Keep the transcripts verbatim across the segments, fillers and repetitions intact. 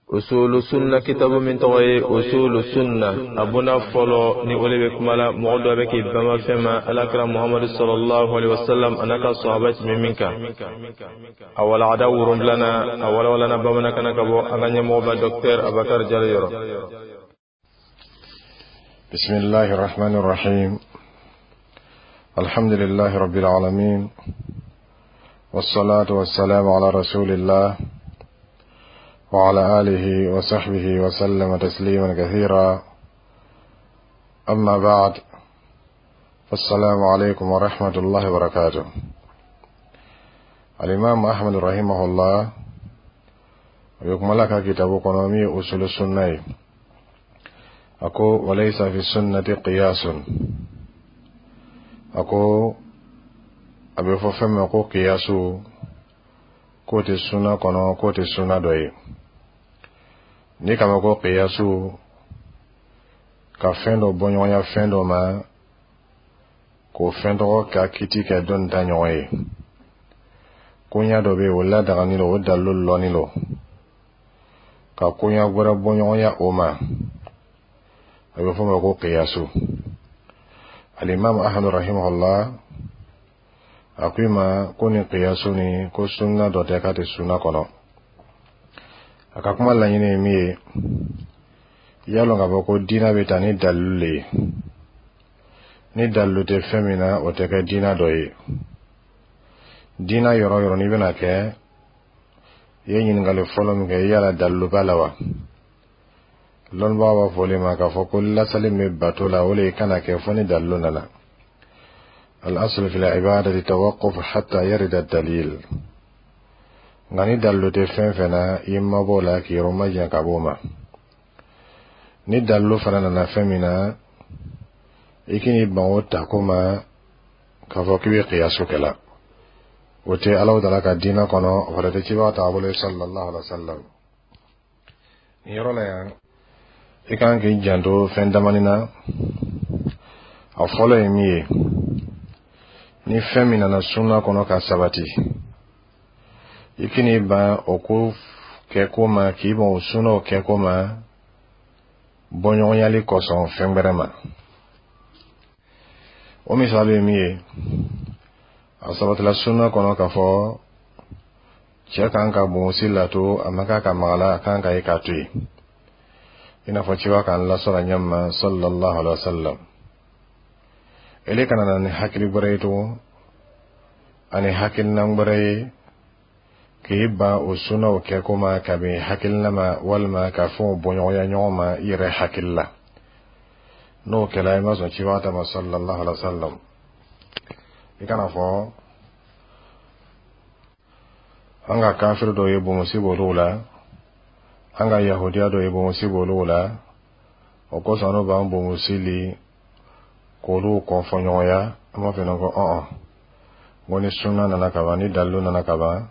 Usulu Sunna kitabu min tɔgɔ ye Usulu Sunna, a bonda fɔlɔ ni o de bɛ kuma la mɔgɔ dɔ bɛ k'i banba fɛn ma Alakira Muhamadu sallallahu alaihi wasallam a n'a ka sahaba tun bɛ min kan. A walagada wolonfilanan, a walawalana bamanankan na ka bɔ an ka ɲɛmɔgɔba Docteur Abakar Jalo yɔrɔ. بسم الله الرحمن الرحيم، الحمد لله رب العالمين، والصلاة والسلام على رسول الله وعلى آله وصحبه وسلم تسليما كثيرا. أما بعد، فالسلام عليكم ورحمة الله وبركاته. الإمام أحمد رحمه الله يكمل كتاب قنومي أصول السنة. أكو وليس في السنة قياس. أكو أبي فهم أكو قياسو k'o tɛ sunna kɔnɔ, k'o tɛ sunna dɔ ye. N'i k'a mɛn ko kiyasu, ka fɛn dɔ bɔɲɔgɔnya fɛn dɔ ma, k'o fɛn tɔgɔ ka kiti kɛ dɔ nin ta ɲɔgɔn ye, koɲa dɔ bɛ yen, o ladagani don, o dalilu lɔnni don, ka koɲa wɛrɛ bɔɲɔgɔnya o ma, a bɛ fɔ o ma ko kiyasu. Alimami Ahmadu rahimahullah a ko i ma ko nin kiyasu nin, ko sunna dɔ tɛ, k'a tɛ sunna kɔnɔ. A ka kuma laɲini ye min ye, i y'a lɔn k'a fɔ ko diina bɛ taa ni dalilu le ye. Ni dalilu tɛ fɛn min na, o tɛ kɛ diina dɔ ye. Diina yɔrɔ yɔrɔ n'i bɛna kɛ, i ye ɲininkali fɔlɔ min kɛ, yala dalilu b'a la wa? Lɔnnibagaw b'a fɔ o de ma k'a fɔ ko lasali min bɛ bato la, o de ye kana kɛ fo ni dalilu nana. الأصل في العبادة توقف حتى يرد الدليل. Nka ni dalilu tɛ fɛn fɛn na, i mabɔ la k'i yɔrɔ majan ka bɔ o ma. Ni dalilu fana nana fɛn min na, i k'i ban o tako ma k'a fɔ k'i bɛ kiyasu kɛ la, o tɛ Alahu Taala ka diinɛ kɔnɔ, o fana tɛ cibaga taabolo ye sallallahu alaihi wa sallam. Nin yɔrɔ la yan, i kan k'i janto fɛn damani na. A fɔlɔ ye min ye, ni fɛn min nana sunna kɔnɔ ka sabati, i k'i ban o ko kɛko ma, k'i ban o sunnaw kɛko ma bɔɲɔgɔnyali kosɔn fɛn wɛrɛ ma. O misali ye min ye, a sabatila sunna kɔnɔ k'a fɔ cɛ kan ka bonsi lato, a man kan ka maga la, a kan ka ye k'a to yen, i n'a fɔ ciba k'an lasɔrɔ ɲɛ ma sallallahu alaihi wa sallam. Ele kana na ni hakili wɛrɛ ye tugun ani hakilina wɛrɛ ye k'i ban o sunnaw kɛko ma kabini hakilina ma, walima ka fɛnw bɔɲɔgɔnya ɲɔgɔn ma i yɛrɛ hakili la. N'o kɛla, i ma sɔn cibaga ta ma sallallahu alaihi wa sallam. I kana fɔ an ka kafiri dɔw ye bonmosi b'olu la, an ka yahudiya dɔw ye bonmosi b'olu la, o kosɔn n'o b'an bonmosi li k'olu kɔnfɔɲɔgɔnya. An b'a fɔ ko ɔn ko ni sunna nana ka ban, ni dalilu nana ka ban,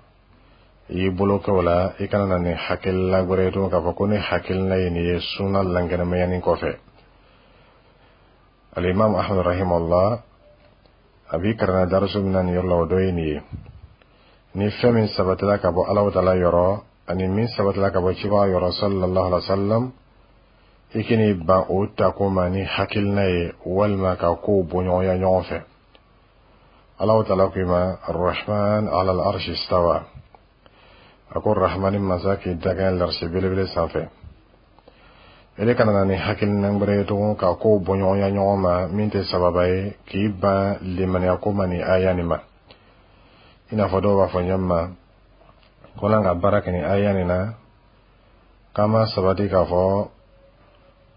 i y'i bolo kɛ o la, i kana na ni hakilila wɛrɛ ye tugun k'a fɔ ko ni hakilina ye nin ye sunna lankɛnɛmayani kɔfɛ. Alimami Ahmad rahimahullah a b'i karanna darisu min na nin yɔrɔ la, o dɔ ye nin ye: ni fɛn min sabatila ka bɔ Alahu Taala yɔrɔ ani min sabatila ka bɔ cibaga yɔrɔ sallallahu alaihi wa sallam, i k'i ban o tako ma ni hakilina ye, walima ka kow bɔɲɔgɔnya ɲɔgɔn fɛ. Alahu Taala ko i ma arrahman ala al arshi istawa. A ko Rahmani masa k'i dakɛn larisi belebele sanfɛ. Ele kana na ni hakilina wɛrɛ ye tugun ka kow bɔɲɔgɔnya ɲɔgɔn ma min tɛ sababa ye, k'i ban limaniya ko ma ni aya nin ma. I n'a fɔ dɔw b'a fɔ ɲɛ ma ko n'an ka baara kɛ ni aya nin na, k'an ma sabati k'a fɔ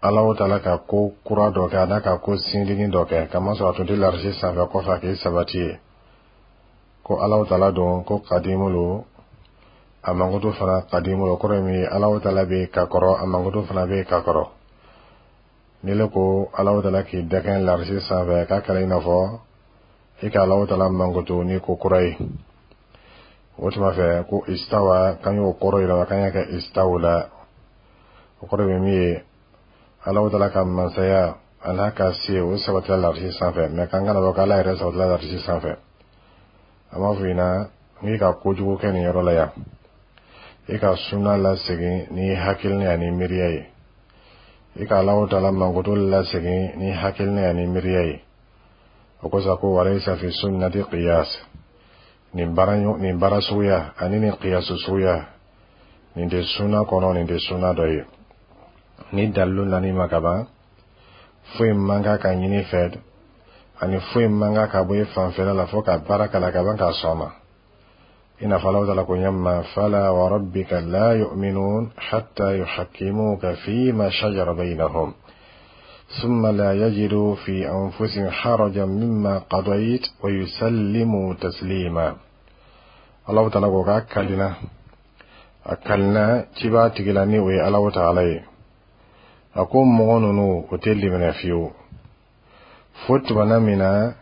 Alahu Taala ka ko kura dɔ kɛ, a n'a ka ko sindirin dɔ kɛ, kamasɔrɔ a tun tɛ larisi sanfɛ kɔfɛ a k'i sabati ye ko Alahu Taala don ko kadimu lo, a mankutu fana kadimu lo. Kɔrɔ ye min ye, Alahu Taala bɛ ka kɔrɔ, a mankutu fana bɛ ka kɔrɔ. Ni le ko Alahu Taala k'i dakɛn larisi sanfɛ, k'a kɛra i n'a fɔ i ka Alahu Taala mankutu ni ko kura ye. O tuma fɛ ko istawa, k'an y'o kɔrɔ yɛlɛma k'an y'a kɛ istawla. O kɔrɔ bɛ min ye, Alahu Taala ka masaya a n'a ka se, o sabatila larisi sanfɛ, mɛ k'an kana fɔ k'Ala yɛrɛ sabatila larisi sanfɛ. A b'a fɔ i ɲɛna n'i ka kojugu kɛ nin yɔrɔ la yan. I ka suna lasegin ni hakilina ani miiriya ye. I ka Alahu Taala mankutu lasegin ni hakilina ani miiriya ye. O kosɔn ko walayisa fi sunnati qiyas. Nin baara nin baara suguya ani nin qiyasu suguya, nin tɛ suna kɔnɔ, nin tɛ suna dɔ ye. Ni dalilu nan'i ma kaban, foyi man kan ka ɲini fɛ ani foyi man kan ka bɔ i fanfɛla la fo ka baara kala ka ban k'a sɔn a ma. I n'a fɔ Alahu Taala ko ɲɛ: fala wa rabbika la yu'minun hatta yuhakkimuka fima shajara bainahum ثم لا يجدوا في أنفسهم حرجا مما قضيت ويسلموا تسليما. Alahu Taala ko k'a kalina, a kalina ciba tigila ni o ye Alahu Taala ye. A ko mɔgɔ ninnu, o tɛ limaniya fiyewu fo tumana min na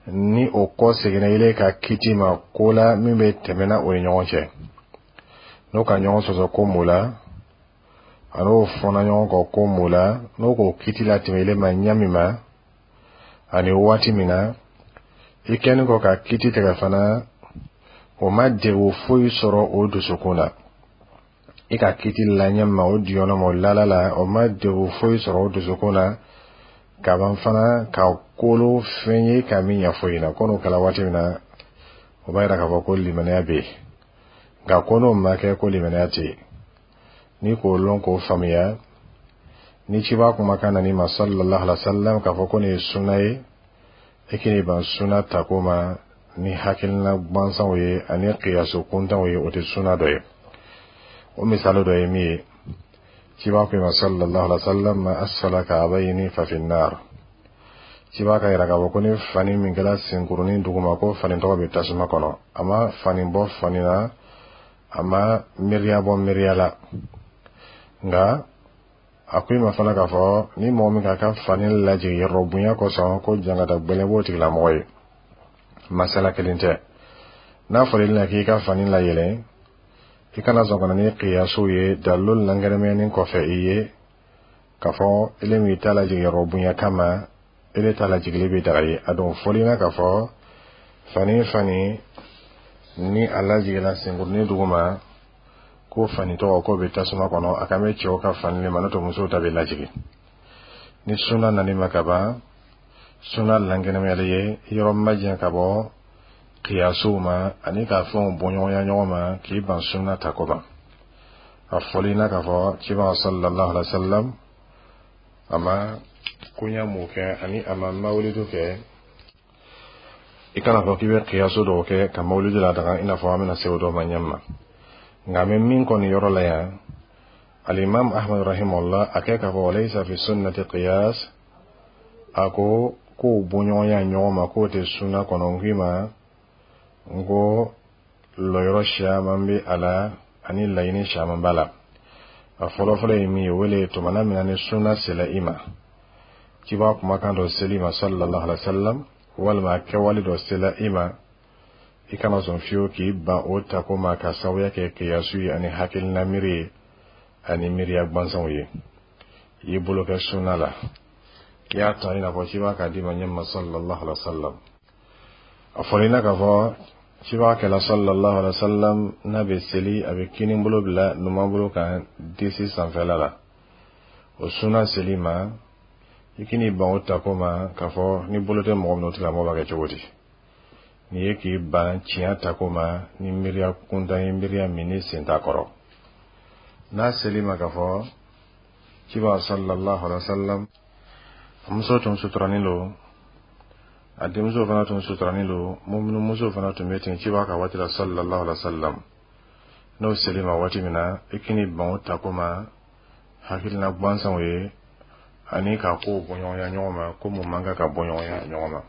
ni o kɔ seginna ile ka kiti ma ko la min bɛ tɛmɛna o ni ɲɔgɔn cɛ, n'o ka ɲɔgɔn sɔsɔ ko mun la, a n'o fɔnna ɲɔgɔn kɔ ko mun la, n'o k'o kiti latɛmɛ ile ma ɲɛ min ma ani waati min na, i kɛlen kɔ ka kiti tigɛ fana, o ma degun foyi sɔrɔ o dusukun na. I ka kiti la ɲɛ ma, o diyɔnɔ ma, o lala la, o ma degun foyi sɔrɔ o dusukun na kaban fana ka kolo fɛn ye ka min ɲɛ foyi na. Ko n'o kɛra waati min na, o b'a yira k'a fɔ ko limaniya bɛ yen. Nka ko n'o ma kɛ, ko limaniya tɛ yen. N'i k'o lɔn k'o faamuya, ni ciba kumakan nan'i ma sallallahu alaihi wa sallam k'a fɔ ko nin ye suna ye, i k'i ban suna tako ma ni hakilina gansanw ye ani kiyasu kuntanw ye, o tɛ suna dɔ ye. O misali dɔ ye min ye, ciba ko ma sallallahu alaihi wa sallam: ma asfala ka'bayni fa fi nar. Ciba ka yira k'a fɔ ko ni fani min kɛra senkurunin duguma, ko fani tɔgɔ bɛ tasuma kɔnɔ. A ma fani bɔ fani na, a ma miiriya bɔ miiriya la. Nka a ko i ma fana k'a fɔ ni mɔgɔ min k'a ka fani lajigin yɔrɔ bonya kosɔn, ko jangata gbɛlɛn b'o tigilamɔgɔ ye. Masala kelen tɛ. N'a fɔra i ɲɛna k'i ka fani layɛlɛn, i kana sɔn ka na ni kiyasiw ye dalilu lankɛnɛmɛni kɔfɛ i ye k'a fɔ ele min t'a lajigin yɔrɔ bonya kama, ele t'a lajigili bɛ daga ye. A dɔn fɔli na k'a fɔ fani fani ni a lajiginna senkurunin duguma, ko fani tɔgɔ k'o bɛ tasuma kɔnɔ, a kan bɛ cɛw ka fani de ma, n'o tɛ musow ta bɛ lajigin. Ni suna nani ma ka ban, suna lankɛnɛmayali ye yɔrɔ majɛ ka bɔ kiyasiw ma ani ka fɛnw bɔɲɔgɔnya ɲɔgɔn ma k'i ban suna tako ma. A fɔli na k'a fɔ cibaga sallallahu alaihi wa sallam a ma koɲa mun kɛ ani a ma mawulidu kɛ, i kana fɔ k'i bɛ kiyasu dɔw kɛ ka mawulidu ladaga, i n'a fɔ an bɛna se o dɔw ma ɲɛ ma. Nka an bɛ min kɔni yɔrɔ la yan, alimam Ahmad rahimahullah a kɛ k'a fɔ walayisa fi sunnati qiyas. A ko k'o bɔɲɔgɔnya ɲɔgɔn ma, k'o tɛ suna kɔnɔ. N k'i ma n ko lɔyɔrɔ siyaman bɛ a la ani laɲini siyaman b'a la. A fɔlɔfɔlɔ ye min ye, o le tumana min na ni suna sela i ma, ciba kumakan dɔ seli ma sallallahu alaihi wa sallam, walima kɛwale dɔ sela i ma, i kana sɔn fiyewu k'i ban o tako ma ka sababuya kɛ kiyasu ye ani hakilina miiri ye ani miiriya gansanw ye. I y'i bolo kɛ suna la, i y'a ta i n'a fɔ ciba k'a d'i ma ɲɛ ma sallallahu alaihi wa sallam. A fɔra i na k'a fɔ ciba kɛla sallallahu alaihi wa sallam, n'a bɛ seli, a bɛ kini bolo bila numan bolo kan disi sanfɛla la. O suna seli ma, i k'i ban o tako ma k'a fɔ ni bolo tɛ mɔgɔ min na, o tigilamɔgɔ b'a kɛ cogo di? N'i ye k'i ban tiɲɛ tako ma ni miiriya kuntan ye, miiriya min ni sen t'a kɔrɔ. N'a seli ma k'a fɔ ciba sallallahu alaihi wa sallam a muso tun suturanin don, a denmuso fana tun suturanin don, muso fana tun bɛ ten ciba ka waati la sallallahu alaihi wa sallam, n'o seli ma waati min na, i k'i ban o tako ma hakilina gansanw ye ani ka kow bɔɲɔgɔnya ɲɔgɔn ma, ko mun man kan ka bɔɲɔgɔnya ɲɔgɔn ma.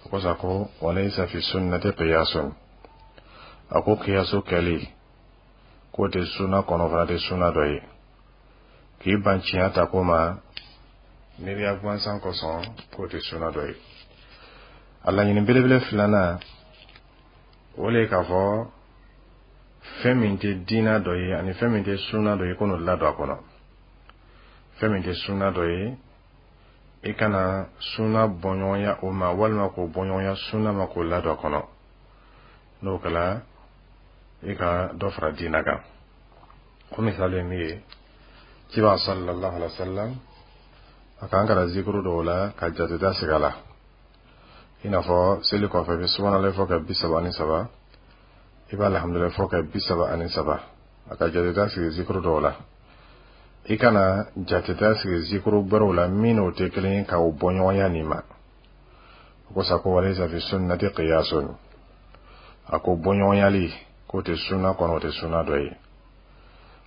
O kosɔn ko walayisa fi sunnati qiyasun. A ko kiyasu kɛli, k'o tɛ suna kɔnɔ, fana tɛ suna dɔ ye. K'i ban tiɲɛ ta ko ma miiriya gansan kosɔn, k'o tɛ suna dɔ ye. A laɲini belebele filanan, o le ye k'a fɔ fɛn min tɛ diina dɔ ye ani fɛn min tɛ suna dɔ ye, ko n'o ladon a kɔnɔ. Fɛn min tɛ suna dɔ ye, i kana suna bɔɲɔgɔnya o ma walima k'o bɔɲɔgɔnya suna ma k'o ladon a kɔnɔ. N'o kɛra, I ka dɔ fara diina kan. O misali ye min ye, ciba sallallahu alaihi wa sallam a k'an kalan zikuru dɔw la ka jateda sigi a la, i n'a fɔ seli kɔfɛ, i bɛ subhanallah fɔ ka bi saba ani saba, i bɛ alhamdulilayi fɔ ka bi saba ani saba. A ka jateda sigi zikuru dɔw la. I kana jateda sigi zikuru gbɛrɛw la min n'o tɛ kelen ye, k'o bɔ ɲɔgɔnya nin ma. O ko sa ko walaysa fi sunnati qiyasun. A ko bɔɲɔgɔnyali k'o tɛ sunna kɔnɔ, o tɛ sunna dɔ ye.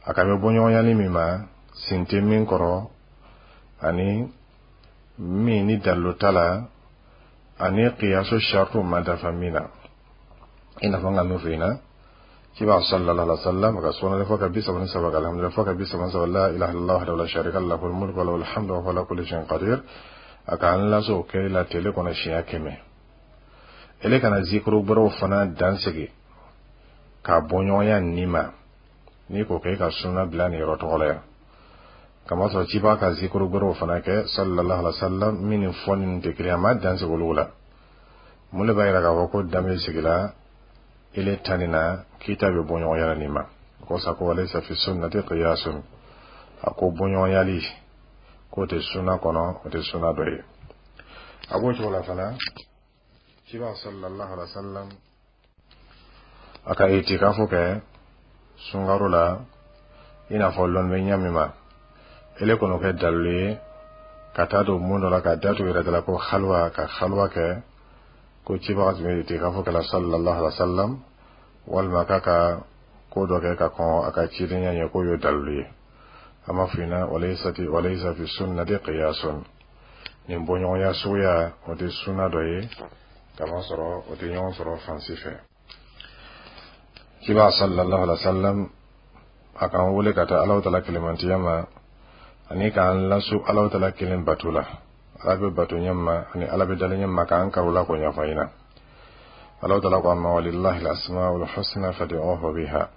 A ka bɛ bɔɲɔgɔnyali min ma, sen tɛ min kɔrɔ ani min ni dalilu t'a la ani qiyasu shartu ma dafa min na, i n'a fɔ n ka min fɔ i ɲɛna, ciba sallallahu alaihi wa sallam ka subhanallah fɔ ka bi saba ni saba, ka alhamdulillah fɔ ka bi saba ni saba, la ilaha illallah wahdahu la sharika lahu, lahul mulku wa lahul hamdu wa huwa ala kulli shay'in qadir. A k'an laso o kɛli la tele kɔnɔ siɲɛ kɛmɛ. Ele kana zikuru gbɛrɛw fana dan sigi k'a bɔ ɲɔgɔnya nin ma. N'i ko k'e ka sunna bila nin yɔrɔ tɔgɔ la yan, kamasɔrɔ ciba ka zikuru gbɛrɛw fana kɛ sallallahu alaihi wa sallam min ni fɔ nin tɛ kelen, a ma dan sigi olu la. Mun de b'a yira k'a fɔ ko dan bɛ sigi la ile tani na k'i ta bɛ bɔ ɲɔgɔnya la nin ma? Ko sa ko walaysa fi sunnati qiyasun. A ko bɔɲɔgɔnyali k'o tɛ sunna kɔnɔ, o tɛ sunna dɔ ye. A b'o cogo la fana, ciba sallallahu alaihi wa sallam a ka itikafu kɛ sunkaro la, i n'a fɔ lɔnni bɛ ɲɛ min ma, ele kɔnɔ kɛ dalilu ye ka taa don mun dɔ la ka datu yɛrɛ da la ko halwa, ka halwa kɛ ko cibaga tun bɛ itikafu kɛ la sallallahu alaihi wa sallam, walima k'a ka ko dɔ kɛ ka kɔn a ka cidenya ɲɛ, k'o y'o dalilu ye. An b'a f'i ɲɛna walaysati walaysa fi sunnati qiyasun. Nin bɔɲɔgɔnya suguya, o tɛ sunna dɔ ye, kamasɔrɔ o tɛ ɲɔgɔn sɔrɔ fan si fɛ. Ciba sallallahu alaihi wa sallam a k'an wele ka taa Alahu Taala kelemantiya ma ani k'an lasu Alahu Taala kelen bato la, Ala bɛ bato ɲɛ ma ani Ala bɛ dalen ɲɛ ma, k'an karo la k'o ɲɛfɔ an ɲɛna. Alahu Taala ko an ma walillahi al-asmaul husna fad'uhu biha.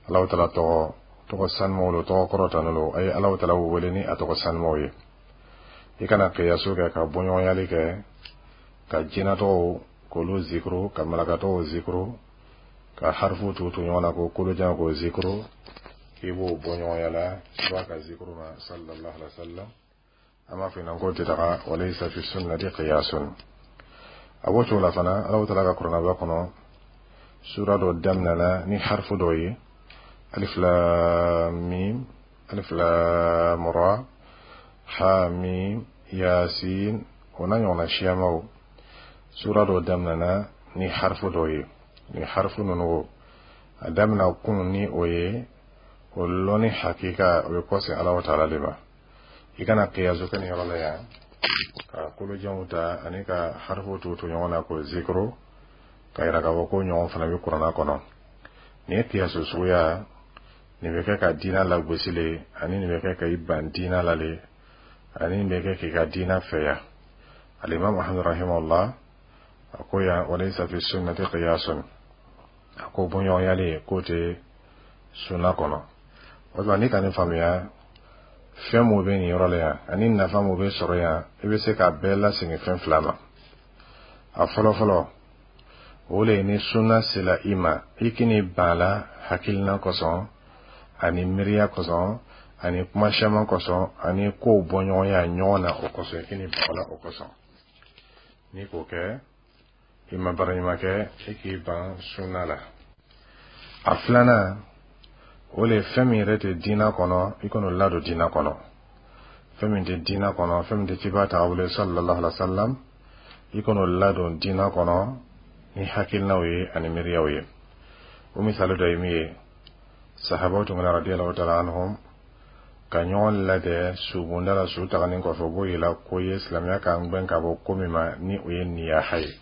Alahu Taala tɔgɔ tɔgɔ sanumaw lo, tɔgɔ kɔrɔtanen lo, a ye Alahu Taala wele ni a tɔgɔ sanumaw ye. I kana kiyasu kɛ ka bɔɲɔgɔnyali kɛ ka jinatɔgɔw k'olu zikuru, ka malakatɔgɔw zikuru, ka harifu tugu tugu ɲɔgɔn na ko kolojan k'o zikuru, k'i b'o bɔ ɲɔgɔnya la i b'a ka zikuru ma sallallahu alaihi wa sallam. An b'a fɔ ɲɛna k'o tɛ taga walaysa fi sunnati qiyasun. A b'o cogo la fana, Alahu Taala ka kuranɛba kɔnɔ, sura dɔ daminɛna ni harifu dɔ ye, alif lam mim, alif lam ra, ha mim, yasin, o n'a ɲɔgɔnna siyamaw. Sura dɔ daminɛna ni harifu dɔ ye. Ni harifu ninnu, a daminɛ kun ni o ye, o lɔnni hakika, o bɛ kɔsegin Alahu Taala de ma. I kana kiyasu kɛ nin yɔrɔ la yan ka kolojanw ta ani ka harifu tugu tugu ɲɔgɔn na k'o zikuru ka yira k'a fɔ ko ɲɔgɔn fana bɛ kuranna kɔnɔ. Nin ye kiyasu suguya, nin bɛ kɛ ka diina lagosi le, ani nin bɛ kɛ ka i ban diina la le, ani nin bɛ kɛ k'i ka diina fɛya. Alimami Muhamadu rahimahullah a ko yan walaysa fi sunnati qiyasun. A ko bɔɲɔgɔnyali k'o tɛ sunna kɔnɔ. O tuma n'i ka nin faamuya, fɛn mun bɛ nin yɔrɔ la yan ani nafa mun bɛ sɔrɔ yan, i bɛ se k'a bɛɛ lasegin fɛn fila ma. A fɔlɔ fɔlɔ, o le ye ni sunna sela i ma, i k'i ban la hakilina kosɔn ani miiriya kosɔn ani kuma caman kosɔn ani kow bɔɲɔgɔnya ɲɔgɔn na o kosɔn, i k'i ban la o kosɔn. N'i k'o kɛ, i ma baara ɲuman kɛ, i k'i ban sunna la. A filanan, o le ye fɛn min yɛrɛ tɛ diina kɔnɔ, i kan'o ladon diina kɔnɔ. Fɛn min tɛ diina kɔnɔ, fɛn min tɛ ciba taabolo ye sallallahu alaihi wa sallam, i kan'o ladon diina kɔnɔ ni hakilinaw ye ani miiriyaw ye. O misali dɔ ye min ye, sahabaw tun kana radiyallahu ta'ala anhum ka ɲɔgɔn lajɛ subonda la. Su taganin kɔfɛ, u b'o yira ko ye silamɛya k'an gbɛn ka bɔ ko min ma, ni o ye niyaha ye,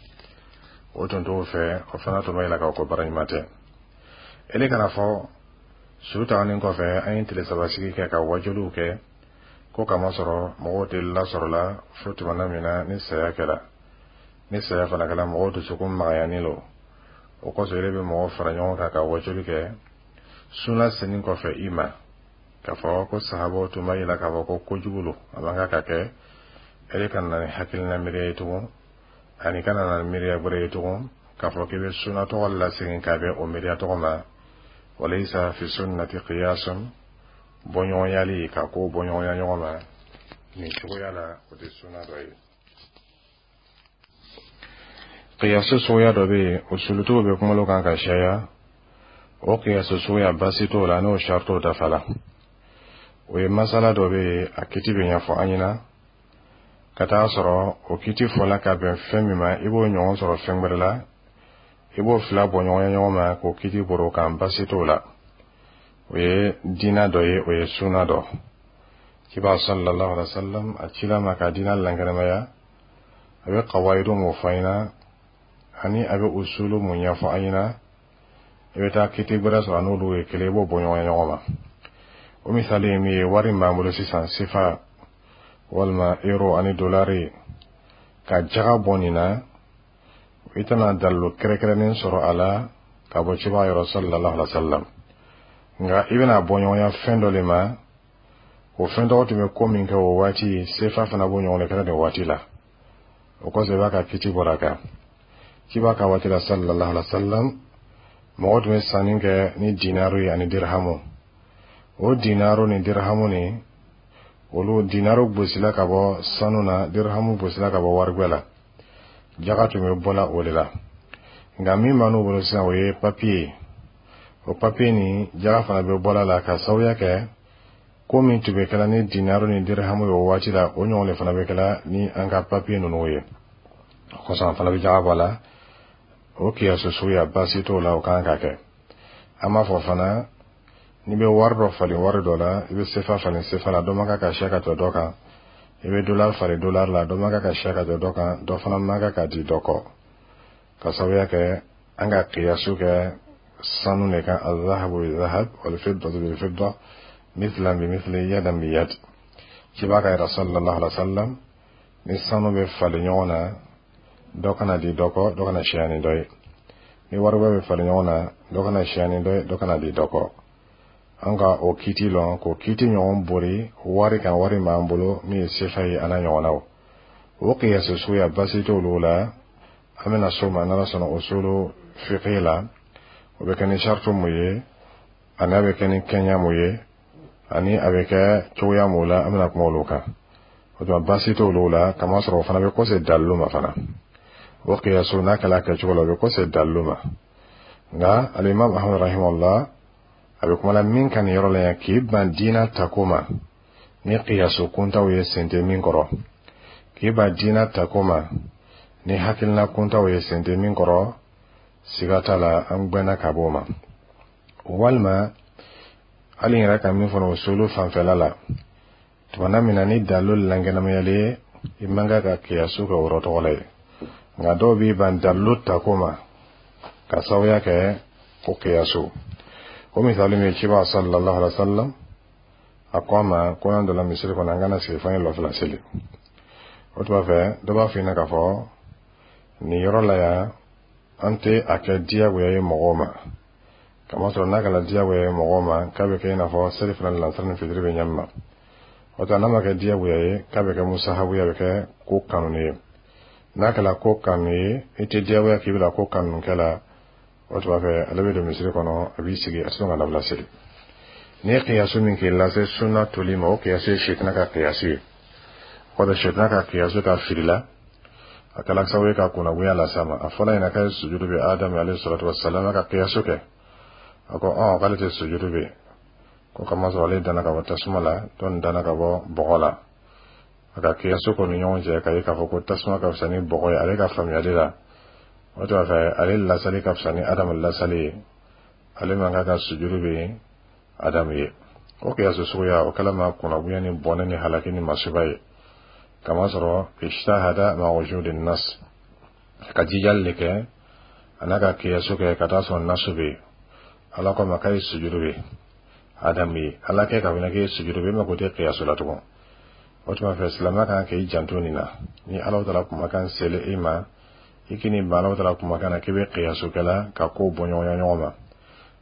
o tun t'o fɛ. O fana tun b'a yira k'a fɔ ko baara ɲuman tɛ. Ele kana fɔ su taganin kɔfɛ, an ye tile saba sigi kɛ ka wajuliw kɛ ko kamasɔrɔ mɔgɔw tɛ lasɔrɔ la fo tumana min na ni saya kɛra. Ni saya fana kɛra, mɔgɔw dusukun magayani lo. O kosɔn ele bɛ mɔgɔw fara ɲɔgɔn kan ka wajuli kɛ sunna senin kɔfɛ i ma, k'a fɔ ko sahabaw tun b'a yira k'a fɔ ko kojugu lo, a man kan ka kɛ. Ele ka na ni hakilina miiriya ye tugun ani kana na ni miiriya wɛrɛ ye tugun. K'a fɔ k'i bɛ sunna tɔgɔ lasegin ka bɛn o miiriya tɔgɔ ma, walayisa fi sunnati qiyasun, bɔɲɔgɔnyali ka ko bɔɲɔgɔnya ɲɔgɔn ma nin cogoya la, o tɛ sunna dɔ ye. Kiyasu suguya dɔ bɛ yen, usulutigiw bɛ kuma kan ka caya. O kiyasu suguya, baasi t'o la n'o saritiw dafa la. O ye masala dɔ bɛ yen, a kiti bɛ ɲɛfɔ an ɲɛna ka taa sɔrɔ o kiti fɔla ka bɛn fɛn min ma, i b'o ɲɔgɔn sɔrɔ fɛn wɛrɛ la, i b'o fila bɔ ɲɔgɔn ɲɔgɔn ma k'o kiti bɔr'o kan, baasi t'o la. O ye diina dɔ ye, o ye sunna dɔ. Ciba sallallahu alaihi wa sallam, a cila ma ka diina lankɛnɛmaya, a bɛ kawayidu mun fɔ an ɲɛna ani a bɛ usulu mun ɲɛfɔ an ɲɛna, i bɛ taa kiti gbɛrɛ sɔrɔ a n'olu ye kelen, i b'o bɔ ɲɔgɔn ɲɔgɔn ma. O misali ye min ye, wari min b'an bolo sisan, sefa walima euro ani dolari, ka jaga bɔ nin na, i tɛna dalilu kɛrɛnkɛrɛnnen sɔrɔ a la ka bɔ ciba yɔrɔ sallallahu alaihi wa sallam. Nka i bɛna bɔ ɲɔgɔnya fɛn dɔ de ma, o fɛn tɔgɔ tun bɛ ko min kɛ o waati, sefa fana b'o ɲɔgɔn de kɛra nin waati la. O kɔsɔn, i b'a ka kiti bɔra a kan. Ciba ka waati la sallallahu alaihi wa sallam, mɔgɔ tun bɛ sanni kɛ ni dinaru ye ani dirhamu. O dinaru ni dirhamu ni olu, dinaru gosila ka bɔ sanu na, dirhamu gosila ka bɔ warigwɛ la, jaga tun bɛ bɔla o de la. Nka min b'an n'u bolo sisan, o ye papiye ye. O papiye nin, jaga fana bɛ bɔla la ka sababuya kɛ ko min tun bɛ kɛla ni dinaru ni dirhamu ye o waati la, o ɲɔgɔn de fana bɛ kɛla ni an ka papiye ninnu ye. O kosɔn, an fana bɛ jaga bɔ a la. O kiyasu suguya, baasi t'o la, o kan ka kɛ. An b'a fɔ fana, n'i bɛ wari dɔ falen wari dɔ la, i bɛ sefa falen sefa la, dɔ man kan ka siya ka tɛmɛ dɔ kan. I bɛ dolari falen dolari la, dɔ man kan ka siya ka tɛmɛ dɔ kan, dɔ fana man kan ka di dɔ kɔ, ka sababuya kɛ an ka kiyasu kɛ sanu de kan: azahabu bi zahab wal fiddatu bil fidda, mithlan bi mithli, yadan bi yad. Ciba ka yɛrɛ sallallahu alaihi wa sallam, ni sanu bɛ falen ɲɔgɔn na, dɔ kana di dɔ kɔ, dɔ kana siya ni dɔ ye. Ni waribɔ bɛ falen ɲɔgɔn na, dɔ kana siya ni dɔ ye, dɔ kana di dɔ kɔ. An ka o kiti lɔn k'o kiti ɲɔgɔn bori wari kan, wari b'an bolo min ye sefa ye, a n'a ɲɔgɔnnaw, o kiyasu suguya, baasi t'olu la. An bɛna s'o ma n'Ala sɔnna usulu fiqh la. O bɛ kɛ ni saritu mun ye, ani a bɛ kɛ ni kɛɲa mun ye, ani a bɛ kɛ cogoya mun la, an bɛna kuma olu kan. O tuma, baasi t'olu la, kamasɔrɔ o fana bɛ kɔse dalilu ma fana. O kiyasu, n'a kɛla a kɛcogo la, o bɛ kɔse dalilu ma. Nka alimami Ahmad rahimahullah, a bɛ kuma la min kan nin yɔrɔ la yan, k'i ban diina tako ma ni kiyasu kuntaw ye, sen tɛ min kɔrɔ, k'i ban diina tako ma ni hakilina kuntaw ye, sen tɛ min kɔrɔ, siga t'a la, an gbɛnna ka bɔ o ma. Walima hali n yɛrɛ ka min fɔ usulu fanfɛla la, tumana min na ni dalilu lankɛnɛmayalen ye, i man kan ka kiyasu kɛ o yɔrɔ tɔgɔ la ye. Nka dɔw b'i ban dalilu tako ma ka sababuya kɛ o kiyasu. O misali min ye, ciba sallallahu alaihi wa sallam, a ko a ma ko n'an donna misiri kɔnɔ, an kana sigi f'an ye lɔfila seli. O tuma fɛ, dɔ b'a f'i ɲɛna k'a fɔ nin yɔrɔ la yan, an tɛ a kɛ diyagoya ye mɔgɔw ma, kamasɔrɔ n'a kɛra diyagoya ye mɔgɔw ma, k'a bɛ kɛ i n'a fɔ seli fana ni lansara ni fitiri bɛ ɲɛ min ma. O tuma, n'a ma kɛ diyagoya ye, k'a bɛ kɛ musahabu ye, a bɛ kɛ ko kanu ye. N'a kɛra ko kanu ye, i tɛ diyagoya k'i bɛna ko kanu kɛ la. O tuma fɛ, ale bɛ don misiri kɔnɔ, a b'i sigi, a tɛ sɔn ka nafila seli. N'i ye kiyasu min k'i lase sunna toli ma, o kiyasu ye sitanɛ ka kiyasu ye. O kɔfɛ, sitanɛ ka kiyasu ka fili la, a kɛla sababu ye ka kunnagoya las'a ma. A fɔla ɲɛna k'a ye sujudu bɛ Adamu alayhi salatu wasalam, ka kiyasu kɛ, a ko ɔn k'ale tɛ sujudu bɛ ko kamasɔrɔ ale danna ka bɔ tasuma la, dɔ nin danna ka bɔ bɔgɔ la. A ka kiyasu k'o ni ɲɔgɔn cɛ ka ye k'a fɔ ko tasuma ka fisa ni bɔgɔ ye ale ka faamuyali la. O tuma fɛ, ale lasali ka fisa ni Adamu lasali ye, ale man kan ka sujudu bɛ Adamu ye. O kiyasu suguya, o kɛla ma kunnagoya ni bɔnɛ ni halaki ni masiba ye, kamasɔrɔ ijtahada ma wujudi nas, ka jijali de kɛ a n'a ka kiyasu kɛ ka taa sɔrɔ nasu bɛ yen. Ala ko a ma k'a ye sujudu bɛ Adamu ye, Ala kɛ ka fana k'e sujudu bɛ, e mako tɛ kiyasu la tugun. O tuma fɛ, silamɛ kan k'i janto nin na. Ni Ala taala kumakan selen i ma, i k'i ban Ala taala kumakan na k'i bɛ kiyasu kɛla ka kow bɔ ɲɔgɔnya ɲɔgɔn ma.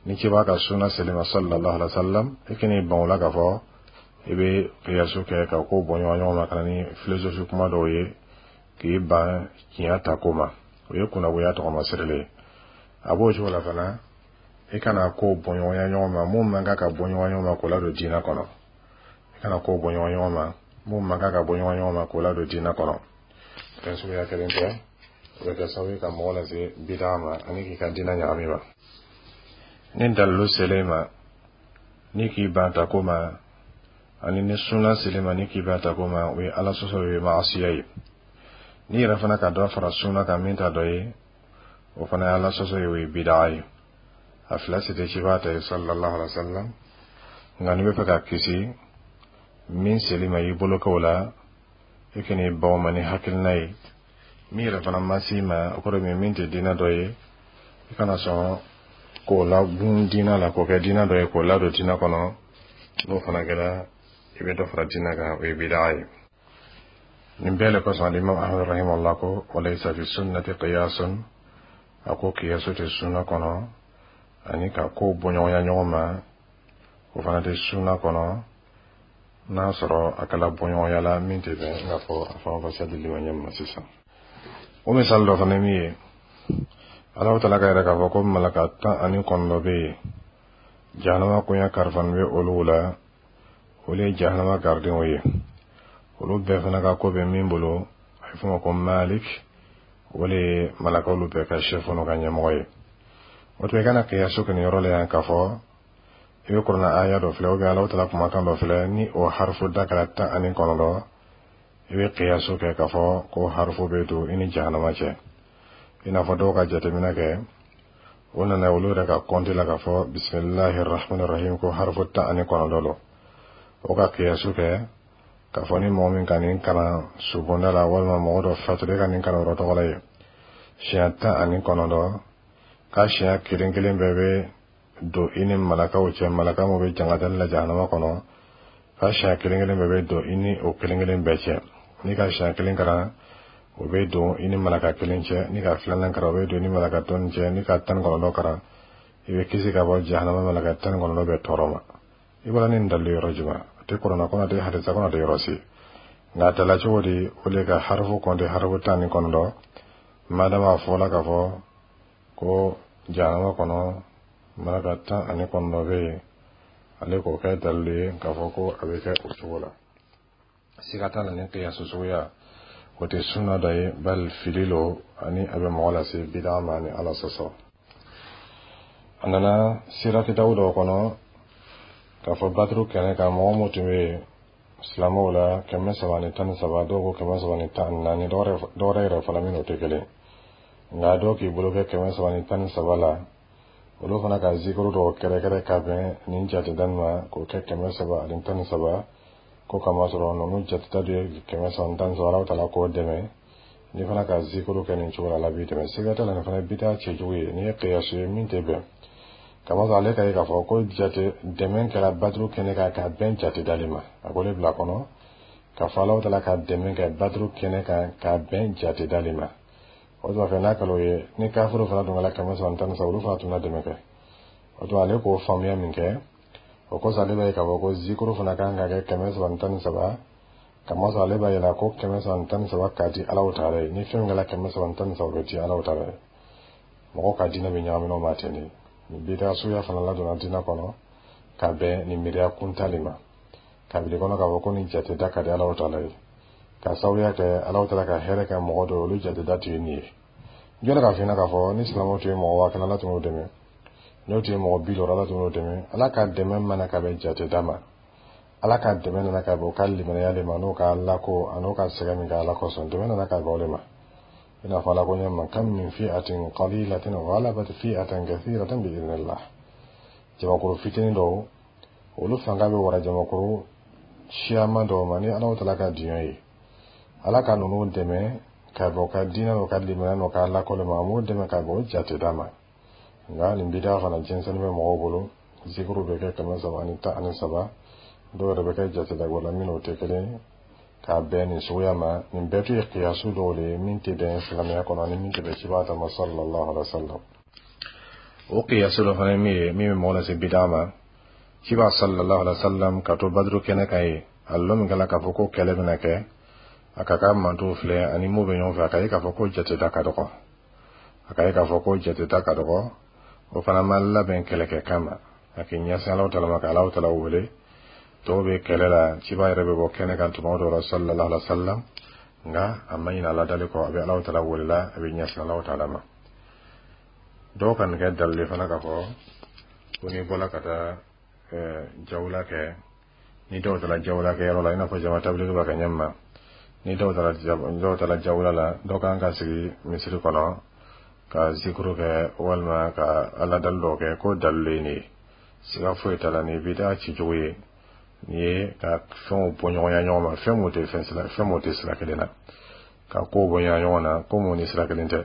Ni ciba ka sunna selen ma sallallahu alaihi wa sallam, i k'i ban o la k'a fɔ i bɛ kiyasu kɛ ka kow bɔ ɲɔgɔn ɲɔgɔn ma, ka na ni philosophie kuma dɔw ye k'i ban tiɲɛ ta ko ma, o ye kunnagoya tɔgɔma sirilen ye. A b'o cogo la fana, i kana ko bɔɲɔgɔnya ɲɔgɔn ma mun man kan ka bɔ ɲɔgɔn ɲɔgɔn ma k'o ladon diinɛ kɔnɔ. I kana ko bɔ ɲɔgɔn ɲɔgɔn ma mun man kan ka bɔ ɲɔgɔn ɲɔgɔn ma k'o ladon diinɛ kɔnɔ. Fɛn suguya kelen tɛ, o bɛ kɛ sababu ye ka mɔgɔ lase bidaa ma ani k'i ka diinɛ ɲagami ma. Ni dalilu selen ma ni k'i ban ta ko ma, ani ni suna selen ma ni k'i ban ta ko ma, o ye Ala sɔsɔ, o ye maasiya ye. N'i yɛrɛ fana ka dɔ fara suna kan min t'a dɔ ye, o fana ye Ala sɔsɔ ye, o ye bidaa ye. A fila si tɛ cibaa ta ye sallallahu alaihi wa sallam. Nka n'i bɛ fɛ ka kisi min seli ma, i bolo kɛ o la, i kan'i ban o ma ni hakilina ye. Min yɛrɛ fana ma s'i ma, o kɔrɔ ye min tɛ diinɛ dɔ ye, i kana sɔn k'o lagun diinɛ la, k'o kɛ diinɛ dɔ ye, k'o ladon diinɛ kɔnɔ. N'o fana kɛra, i bɛ dɔ fara diinɛ kan, o ye bidaa ye. Nin bɛɛ le kosɔn, alimam Ahmad rahimahullah ko walaysa fi sunnati qiyasun. A ko kiyasu tɛ sunna kɔnɔ, ani ka kow bɔɲɔgɔnya ɲɔgɔn ma, o fana tɛ sunna kɔnɔ, n'a sɔrɔ a kɛla bɔɲɔgɔnya la min tɛ bɛn. I n'a fɔ a faranfasiya dili ma ɲɛ ma sisan. O misali dɔ fana ye min ye, Alahu Taala ka yɛrɛ k'a fɔ ko malaka tan ani kɔnɔntɔn bɛ yen, jahanama koɲɛ karifani bɛ olu la, olu ye jahanama garidenw ye. Olu bɛɛ fana ka ko bɛ min bolo, a bɛ f'o ma ko Malik, o de ye malakaw bɛɛ ka chef n'o ka ɲɛmɔgɔ ye. O tuma, i kana kiyasu kɛ nin yɔrɔ la yan k'a fɔ i bɛ kuranɛ aya dɔ filɛ, ou bien Alahu Taala kumakan dɔ filɛ, ni o harifu da kɛra tan ani kɔnɔntɔn, i bɛ kiyasu kɛ k'a fɔ ko harifu bɛ don i ni jahanama cɛ. I n'a fɔ dɔw ka jateminɛ kɛ, o nana olu yɛrɛ ka kɔnti la k'a fɔ bisimilahi rahmani rahim ko harifu tan ani kɔnɔntɔn don. O ka kiyasu kɛ k'a fɔ ni mɔgɔ min ka nin kalan subonda la, walima mɔgɔ dɔ fatura, i ka nin kalan yɔrɔ tɔgɔ la ye siɲɛ tan ani kɔnɔntɔn, k'a siɲɛ kelen kelen bɛɛ bɛ don i ni malakaw cɛ, malaka min bɛ jangatali la jahanama kɔnɔ, k'a siɲɛ kelen kelen bɛɛ bɛ don i ni o kelen kelen bɛɛ cɛ. N'i ka siɲɛ kelen kalan, o bɛ don i ni malaka kelen cɛ. N'i ka filanan kalan, o bɛ don i ni malaka tɔn cɛ. N'i ka tan ni kɔnɔntɔn kalan, i bɛ kisi ka bɔ jahanama malaka tan ni kɔnɔntɔn bɛɛ tɔɔrɔ ma. I bɔra ni nin dalilu yɔrɔ jumɛn? A tɛ kuranɛ kɔnɔ, a tɛ hadisa kɔnɔ, a tɛ yɔrɔ si. Nka a tala cogo di? O de ka harifu kɔnte, harifu tan ni kɔnɔntɔn, madama a fɔla k'a fɔ ko jahanama kɔnɔ malaka tan ani kɔnɔntɔn bɛ yen, ale k'o kɛ dalilu ye k'a fɔ ko a bɛ kɛ o cogo la. Siga t'a la, ni kiyasu suguya o tɛ sunna dɔ ye, bali fili lo, ani a bɛ mɔgɔ lase bidaa ma ni Ala sɔsɔ. A nana sira kitabu dɔw kɔnɔ k'a fɔ Baduru kɛnɛ kan, mɔgɔ mun tun bɛ yen silamɛw la, kɛmɛ saba ani tan ni saba, dɔw ko kɛmɛ saba ni tan ni naani, dɔwɛrɛ yɛrɛ fana min o tɛ kelen. Nka dɔw k'i bolo kɛ kɛmɛ saba ni tan ni saba la, olu fana ka zikuru dɔw kɛrɛkɛrɛ ka bɛn nin jateda nin ma k'o kɛ kɛmɛ saba ani tan ni saba, ko kamasɔrɔ ninnu jateda dɔ ye kɛmɛ saba ni tan ni saba. Ala taala k'o dɛmɛ, n'i fana ka zikuru kɛ nin cogo la, Ala b'i dɛmɛ. Siga t'a la, nin fana ye bidaa cɛjugu ye. N'i ye kiyasu ye min tɛ bɛn, kamasɔrɔ ale ka ye k'a fɔ ko jate dɛmɛ kɛra Baduru kɛnɛ kan ka bɛn jate dali ma, a ko ne bila kɔnɔ k'a fɔ Ala taala ka dɛmɛ kɛ Baduru kɛnɛ kan ka bɛn jate dali ma. O tuma fɛ, n'a kɛra o ye, ni kafiriw fana dun kɛra kɛmɛ saba ni tan ni saba, olu fana tun na dɛmɛ kɛ. O tuma, ale k'o faamuya min kɛ, o kosɔn ale b'a ye k'a fɔ ko zikuru fana kan ka kɛ kɛmɛ saba ni tan ni saba, kamasɔrɔ ale b'a yira ko kɛmɛ saba ni tan ni saba ka di Alaw taala ye. Ni fɛn min kɛra kɛmɛ saba ni tan ni saba, o bɛ di Alaw taala ye. Mɔgɔw ka diinɛ bɛ ɲagami n'o ma ten de. Nin bidaa suguya fana ladonna diinɛ kɔnɔ ka bɛn nin miiriya kuntali ma, kabili kɔnɔ k'a fɔ ko nin jateda ka di Alaw taala ye, ka sababuya kɛ Alaw taala ka hɛrɛ kɛ mɔgɔ dɔw ye, olu jateda tun ye nin ye. Jɔn k'a f'i ɲɛna k'a fɔ ni silamɛw tun ye mɔgɔ waa kelen, Ala tun b'o dɛmɛ. N'o tun ye mɔgɔ bi duuru, Ala tun b'o dɛmɛ. Ala ka dɛmɛ mana ka bɛn jateda ma, Ala ka dɛmɛ nana ka bɛn o ka limaniya de ma, n'o ka Ala ko a n'o ka sɛgɛn min kɛ Ala kosɔn, dɛmɛ nana ka bɛn o de ma. I n'a fɔ Ala ko ɲɛ ma kam min fi'atin qalilatin ghalabat fi'atan kathiratan bi idhnillah. Jamakuru fitinin dɔw, olu fanga bɛ wara jamakuru siyaman dɔw ma ni Ala taala ka diɲɛ ye. Ala ka ninnu dɛmɛ ka bɛn o ka diinɛ n'o ka limaniya n'o ka Ala ko de ma, a m'o dɛmɛ ka bɛn o jateda ma. Nka nin bidaa fana jɛnsɛnni bɛ mɔgɔw bolo, zikuru bɛ kɛ kɛmɛ saba ani tan ani saba, dɔw yɛrɛ bɛ kɛ jatedako la min n'o tɛ kelen, k'a bɛn nin suguya ma. Nin bɛɛ tun ye kiyasu dɔw de ye min tɛ bɛn silamɛya kɔnɔ ani min tɛ bɛn cibaga ta ma sallallahu alaihi wa sallam. O kiyasu dɔ fana ye min ye, min bɛ mɔgɔ lase bidaa ma, ciba sallallahu alaihi wa sallam ka to Baduru kɛnɛ kan ye, a lɔ min kɛla k'a fɔ ko kɛlɛ bɛna kɛ, a ka ka mantow filɛ ani mun bɛ ɲɔgɔn fɛ, a ka ye k'a fɔ ko jateda ka dɔgɔ. A ka ye k'a fɔ ko jateta ka dɔgɔ, o fana ma labɛn kɛlɛkɛ kama, a k'i ɲɛsin Alahu Taala ma, ka Alahu Taala wele. Tɔw bɛ kɛlɛ la, ciba yɛrɛ bɛ bɔ kɛnɛ kan tuma dɔw la, sallallahu alaihi wa sallam, nka a ma ɲinɛ aladali kɔ, a bɛ Alahu Taala wele la, a bɛ ɲɛsin Alahu Taala ma. Dɔw ka nin kɛ dalili fana k'a fɔ ko n'i bɔla ka taa jawula kɛ, ni dɔw taara jawula kɛ yɔrɔ la, i n'a fɔ jama tabiliki b'a kɛ ɲɛ ma, ni dɔw taara dɔw taara jawula la, dɔw kan ka sigi misiri kɔnɔ ka zikuru kɛ walima ka aladali dɔw kɛ, ko dalilu ye nin ye. Siga foyi t'a la, nin ye bidaa cicogo ye. Nin ye ka fɛnw bɔ ɲɔgɔnya ɲɔgɔn ma, fɛn mun tɛ fɛn sira, fɛn mun tɛ sira kelen na, ka kow bɔ ɲɔgɔn na, ko mun ni sira kelen tɛ.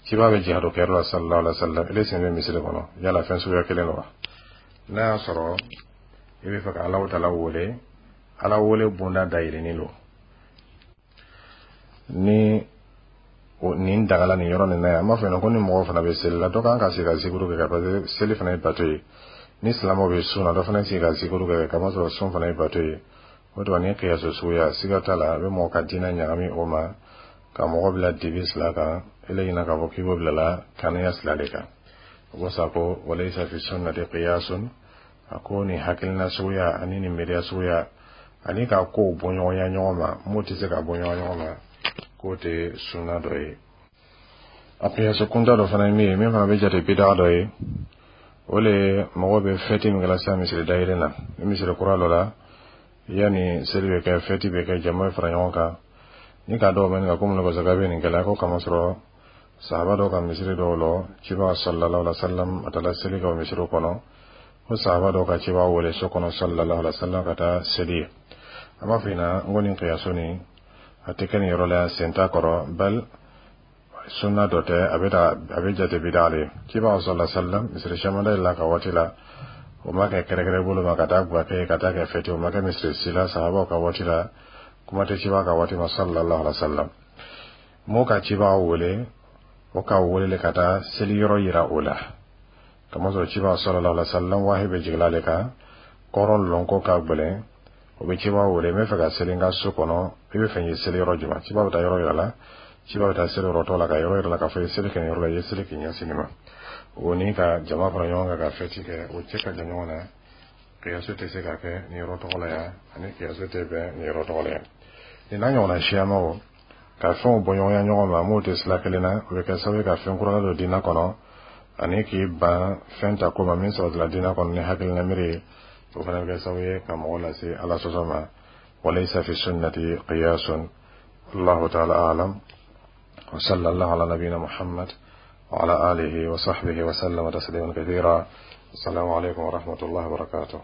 Ciba bɛ jihadu kɛyɔrɔ la, sallallahu alaihi wa sallam, ele sen bɛ misiri kɔnɔ, yala fɛn suguya kelen don wa? N'a y'a sɔrɔ i bɛ fɛ ka Alahu Taala wele, Ala wele bonda dayɛlɛnnen don. Ni nin dagala nin yɔrɔ nin na yan, an b'a fɔ yen ko ni mɔgɔ fana bɛ seli la, dɔ kan ka sigi ka zikuru kɛ, parce que seli fana ye bato ye. Ni silamɛw bɛ sun na, dɔ fana sigi ka zikuru kɛ, kamasɔrɔ sun fana ye bato ye. O tuma ni kiyaso suguya, siga t'a la, a bɛ mɔgɔ ka diinɛ ɲagami o ma, ka mɔgɔ bila dibi sila kan, ele ɲina k'a fɔ k'i b'o bila la kaniya sila de kan. O ko sa ko walaysa fi sunnati qiyasun. A ko nin hakilina suguya ani nin miiriya suguya ani ka kow bɔ ɲɔgɔnya ɲɔgɔn ma, m'o tɛ se ka bɔ ɲɔgɔn ɲɔgɔn ma, k'o tɛ sunna dɔ ye. A kiyaso kunta dɔ fana ye min ye, min fana bɛ jate bidaa dɔ ye, o le ye mɔgɔw bɛ fɛti min kɛla sisan misiri dayɛlɛ na. Ni misiri kura dɔ la, yanni seli bɛ kɛ, fɛti bɛ kɛ, jama bɛ fara ɲɔgɔn kan. Ni ka dɔw bɛ nin kan ko mun kosɛbɛ bɛ nin kɛla, ko kamasɔrɔ sahaba dɔw ka misiri dɔw lɔ, ciba sallallahu alaihi wa sallam a taara seli kɛ o misiriw kɔnɔ, ko sahaba dɔw ka ciba wele so kɔnɔ, sallallahu alaihi wa sallam, ka taa seli ye. An b'a fɔ ɲɛna n ko nin kiyaso nin, a tɛ kɛ nin yɔrɔ la yan, sen t'a kɔrɔ, bal sunna dɔ tɛ, a bɛ a bɛ jate bidaa de ye. Ciba sallallahu alaihi wa sallam, misiri caman dayɛlɛ a ka waati la, o ma kɛ kɛrɛkɛrɛ bolo ma ka taa guwa kɛ, ka taa kɛ fɛti, o ma kɛ misiri si la sahabaw ka waati la, kuma tɛ ciba ka waati ma, sallallahu alaihi wa sallam. M'o ka ciba wele, o ka wele ka taa seli yɔrɔ yira o la, kamasɔrɔ ciba sallallahu alaihi wa sallam, wahi bɛ jigin ale kan, kɔrɔ lɔnko ka gɛlɛn. O bɛ ciba wele: n bɛ fɛ ka seli n ka so kɔnɔ, i bɛ fɛ n ye seli yɔrɔ jumɛn? Ciba bɛ taa yɔrɔ yira la, ciba bɛ taa seli yɔrɔ tɔ la, ka yɔrɔ yira la, k'a fɔ i ye seli kɛ nin yɔrɔ la, i ye seli k'i ɲɛsin nin ma. O ni ka jama fara ɲɔgɔn kan ka fɛti kɛ, o cɛ ka jan ɲɔgɔn na. Kiyaso tɛ se ka kɛ nin yɔrɔ tɔgɔ la yan, ani kiyaso tɛ bɛn nin yɔrɔ tɔgɔ la yan. Nin n'a ɲɔgɔnna siyamaw, ka fɛnw bɔ ɲɔgɔnya ɲɔgɔn ma m'o tɛ sira kelen na, o bɛ kɛ sababu ye ka fɛn kura don diinɛ kɔnɔ, ani k'i ban fɛn ta ko ma min sabatila diinɛ kɔnɔ ni hakilina miiri ye, o fana bɛ kɛ sababu ye ka mɔgɔ lase Ala sɔsɔ ma. Walaysa fi sunnati qiyasun. Wallahu ta'ala a'lam wa sallallahu ala nabiyyina Muhammad wa ala alihi wa sahbihi wa sallama tasliman kathira. Assalamu alaikum wa rahmatullahi wa barakatuh.